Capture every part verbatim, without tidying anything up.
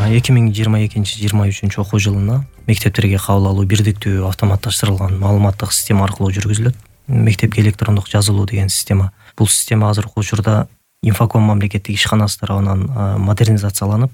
эки миң жыйырма экинчи жыйырма үчүнчү окуу жылына мектептерге кабыл алуу бирдиктүү автоматташтырылган маалыматтык система аркылуу жүргүзүлөт. Мектепке электрондук жазылуу деген система. Бул система азыркы учурда Инфоком мамлекеттик ишканасы тарабынан модернизацияланып,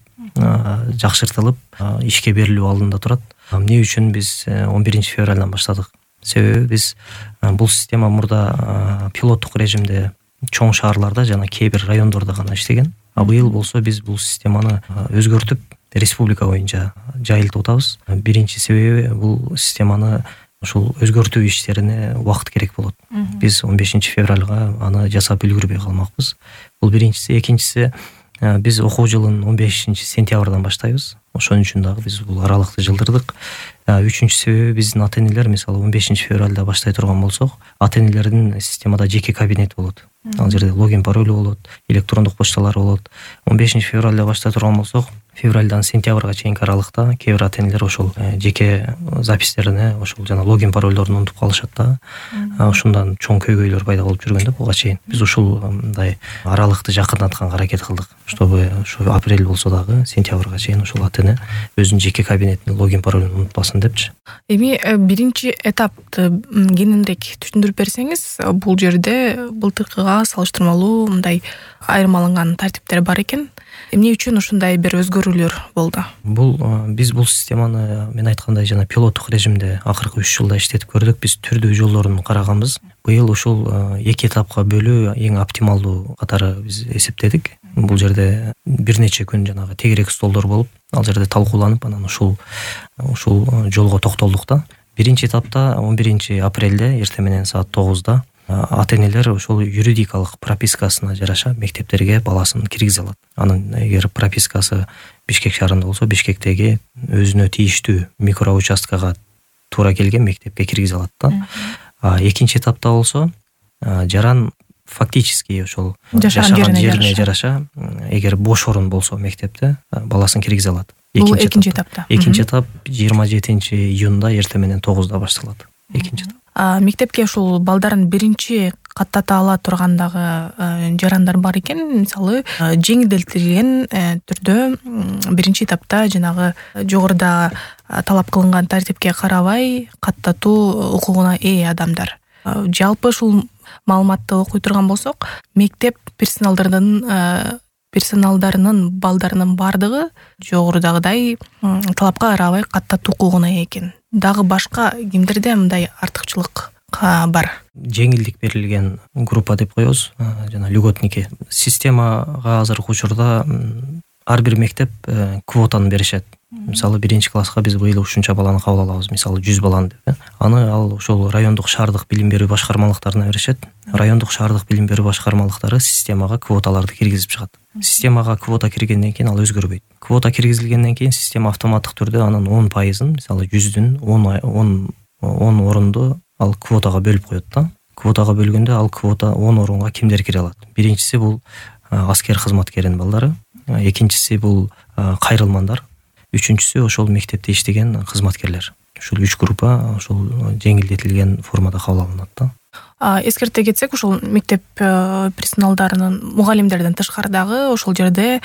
жакшыртылып, ишке берилүү алдында турат. Эмне үчүн биз он биринчи февралдан баштадык? Себеби биз бул система мурда пилоттук режимде чоң шаарларда жана кээ бир райондордо гана иштеген. А быйыл болсо биз бул системаны өзгөртүп, республика боюнча жайылтып атабыз. Биринчи себеби бул системаны ушул өзгөртүү иштерине убакыт керек болот. Биз он бешинчи февралга аны жасап үлгүрбөй калмакпыз. Бул биринчиси. Экинчиси, биз окуу жылын он бешинчи сентябрдан баштайбыз. Ошон үчүн дагы биз бул аралыкты жылдырдык. Үчүнчү себеби биздин ата-энелер мисалы он бешинчи февралда баштай турган болсок, ата-энелердин системада жеке кабинети болот. Ал жерде логин паролу болот, электрондук почталары болот. он бешинчи февралда баштай турган болсок, февралдан сентябрга чейинки аралыкта кээ бир ата-энелер ошол жеке запистерине ошол жана логин паролдорун унутуп калышат да. Ошондон чоң көйгөйлөр пайда болуп жүргөн да буга чейин. Биз ушул мындай аралыкты жакындатканга аракет кылдык, чтобы ошо апрель болсо дагы сентябрга чейин ошол ата-эне өзүнүн жеке кабинетине логин паролун унутпасын депчи. Эми биринчи этапты кененирээк түшүндүрүп берсеңиз, бул жерде былтыркыга салыштырмалуу мындай айырмаланган тартиптер бар экен. Эмне үчүн ушундай бир өзгөрүүлөр болду? Бул биз бул системаны мен айткандай жана пилоттук режимде акыркы үч жылда иштетип көрдүк. Биз түрдүү жолдорун караганбыз. Быйыл ушул эки этапка бөлүү эң оптималдуу катары биз эсептедик. Бул жерде бир нече күн жанагы тегерек столдор болуп, ал жерде талкууланып, анан ушул ушул жолго токтолдук да. Биринчи этапта он биринчи апрелде эртең менен саат тогузда ата-энелер ошол юридикалык пропискасына жараша мектептерге баласын киргизе алат. Анын эгер пропискасы Бишкек шаарында болсо, Бишкектеги өзүнө тийиштүү микроучасткага туура келген мектепке киргизе алат да. Экинчи этапта болсо, жаран фактически ошол жашаган жерине жараша, эгер бош орун болсо мектепте, баласын киргизе алат. Бул экинчи этапта. Экинчи этап жыйырма жетинчи июнда эртең менен тогузда башталат. Экинчи этап. Мектепке ушул балдарын биринчи каттата ала тургандагы жарандар бар экен. Мисалы, жеңилдетилген түрдө биринчи этапта жанагы жогоруда талап кылынган тартипке карабай каттатуу укугуна ээ адамдар. Жалпы ушул маалыматты окуй турган болсок, мектеп персоналдарынын персоналдарынын балдарынын бардыгы жогорудагыдай талапка карабай каттатуу укугуна ээ экен. Дагы башка кимдерде мындай артыкчылык бар? Жеңилдик берилген группа деп коебуз, жана льготники. Системага азыркы учурда ар бир мектеп квотаны беришет. Мисалы, биринчи класска биз быйыл ушунча баланы кабыл алабыз, мисалы жүз баланы деп. Аны ал ошол райондук шаардык билим берүү башкармалыктарына беришет. Райондук шаардык билим берүү башкармалыктары системага квоталарды киргизип чыгат. Системага квота киргенден кийин ал өзгөрбөйт. Квота киргизилгенден кийин система автоматтык түрдө анын он пайызын, мисалы жүздүн он орунду ал квотага бөлүп коет да. Квотага бөлгөндө ал квота он орунга кимдер кире алат? Биринчиси бул аскер кызматкеринин балдары, экинчиси бул кайрылмандар, үчүнчүсү ошол мектепте иштеген кызматкерлер. Ушул үч группа ошол жеңилдетилген формада кабыл алынат да. Эскерте кетсек, ошол мектеп персоналдарынын мугалимдерден тышкары дагы ошол жерде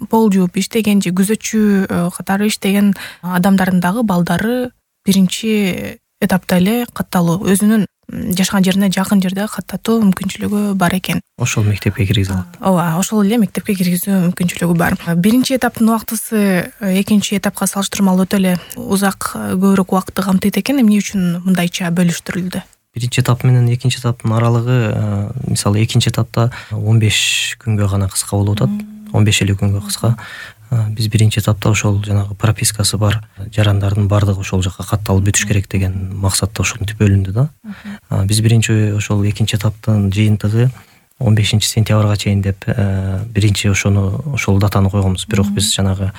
пол жууп иштеген же күзөтчү катары иштеген адамдардын дагы балдары биринчи этапта эле катталуу, өзүнүн жашаган жерине жакын жерде каттатуу мүмкүнчүлүгү бар экен. Ошол мектепке киргизе алат. Ооба, ошол эле мектепке киргизүү мүмкүнчүлүгү бар. Биринчи этаптын убактысы экинчи этапка салыштырмалуу өтө эле узак, көбүрөөк убакытты камтыйт экен. Эмне үчүн мындайча бөлүштүрүлдү? Биринчи этап менен экинчи этаптын аралыгы, мисалы, экинчи этапта он беш күнгө гана кыска болуп атат. он беш элүү күнгө кыска. Биз биринчи этапта ошол жанагы пропискасы бар жарандардын бардыгы ошол жакка катталып бүтүш керек деген максатта ошентип бөлүндү да. Биз биринчи ошол экинчи этаптын жыйынтыгы он бешинчи сентябрга чейин деп биринчи ошону ошол датаны койгонбуз. Бирок биз жанагы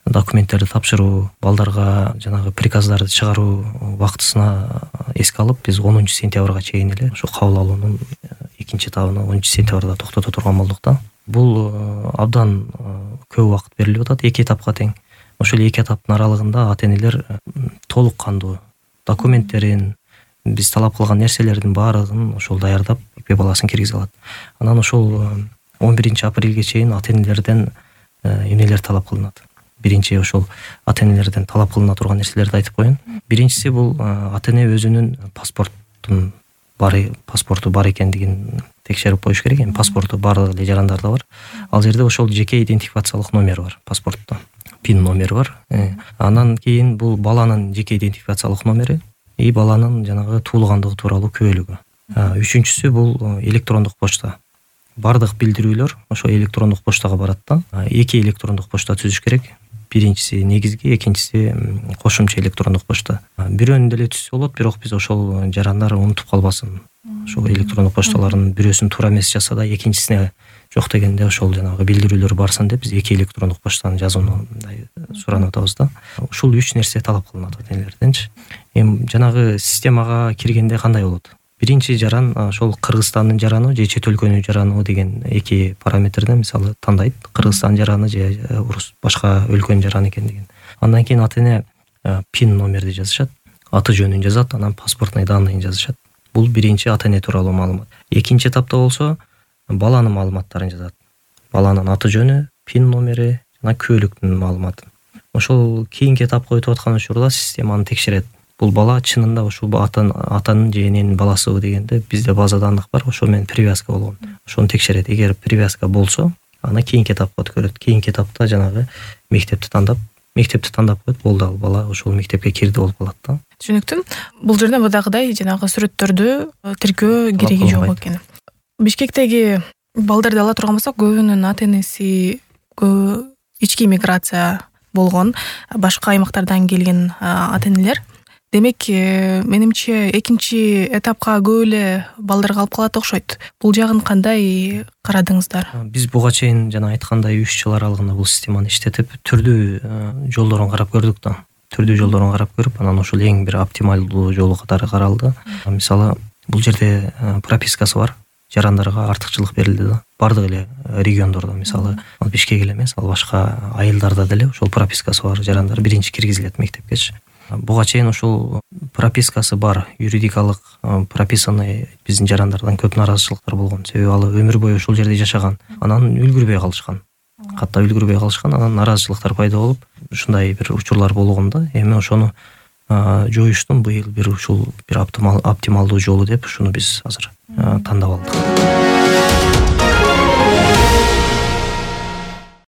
документтерди тапшыруу, балдарга жанагы приказдарды чыгаруу убактысына эске алып, биз онунчу сентябрга чейин эле ошо кабыл алуунун экинчи этабын онунчу сентябрда токтото турган болдук да. Бул абдан көп убакыт берилип атат, эки этапка тең. Ошол эки этаптын аралыгында ата-энелер толук кандуу документтерин, биз талап кылган нерселердин баардыгын ошол даярдап, экпе баласын киргизе алат. Анан ошол он биринчи апрелге чейин ата-энелерден эмнелер талап кылынат? биринчи ошол ата энелерден талап кылына турган нерселерди айтып коеюн. Биринчиси бул ата эне өзүнүн паспорттун бар паспорту бар экендигин текшерип коюш керек. Эми паспорту баардык эле жарандарда бар. Ал жерде ошол жеке идентификациялык номер бар паспортто. Пин номер бар. Андан кийин бул баланын жеке идентификациялык номери и баланын жанагы туулгандыгы тууралуу күбөлүгү. Үчүнчүсү бул электрондук почта. Бардык билдирүүлөр ошо электрондук почтага барат да. Эки электрондук почта түзүш керек. Биринчиси негизги, экинчиси кошумча электрондук почта. Бирөөнү деле түзсө болот, бирок биз ошол жарандар унутуп калбасын. Ошол электрондук почталардын бирөөсүн туура эмес жаса да, экинчисине жок дегенде ошол жанагы билдирүүлөр барсын деп биз эки электрондук почтаны жазууну мындай суранып атабыз да. Ушул үч нерсе талап кылынат ата энелерденчи. Эми жанагы системага киргенде кандай болот? Биринчи жаран ошол Кыргызстандын жараны же чет өлкөнүн жараны деген эки параметрден мисалы тандайт. Кыргызстан жараны же башка өлкөнүн жараны экендигин. Андан кийин ата эне пин номерди жазышат, аты жөнүн жазат, анан паспортный данныйын жазышат. Бул биринчи ата эне тууралуу маалымат. Экинчи этапта болсо баланын маалыматтарын жазат. Баланын аты жөнү, пин номери жана күбөлүктүн маалыматы. Ошол кийинки этапка өтүп аткан учурда системаны текшерет. Бул бала чынында ушул атанын же эненин баласыбы дегенде бизде база данных бар, ошо менен привязка болгон. Ошону текшерет. Эгер привязка болсо, аны кийинки этапка өткөрөт. Кийинки этапта жанагы мектепти тандап, мектепти тандап коет, болду ал бала ошол мектепке кирди болуп калат да. Түшүнүктүү. Бул жерде мындагыдай жанагы сүрөттөрдү тиркөө кереги жок экен. Бишкектеги балдарды ала турган болсок, көбүнүн ата энеси ички миграция болгон, башка аймактардан келген ата энелер. Демек, менимче экинчи этапка көп эле балдарга алып калат окшойт. Бул жагын кандай карадыңыздар? Биз буга чейин жана айткандай үч жыл аралыгында бул системаны иштетип, түрдүү жолдорун карап көрдүк да. Түрдүү жолдорун карап көрүп, анан ошол эң бир оптималдуу жолу катары каралды. Мисалы, бул жерде пропискасы бар. Жарандарга артыкчылык берилди да. Бардык эле региондордо, мисалы, ал Бишкек эле эмес, ал башка айылдарда деле ошол пропискасы бар жарандар биринчи киргизилет мектепкечи. Буга чейин ушул пропискасы бар, юридикалык прописанный биздин жарандардан көп нааразычылыктар болгон. Себеби ал өмүр бою ушул жерде жашаган, анан үлгүрбөй калышкан. Катта үлгүрбөй калышкан, анан нааразычылыктар пайда болуп, ушундай бир учурлар болгон да. Эми ошону жоюштун быйыл бир ушул бир оптималдуу жолу деп ушуну биз азыр тандап алдык.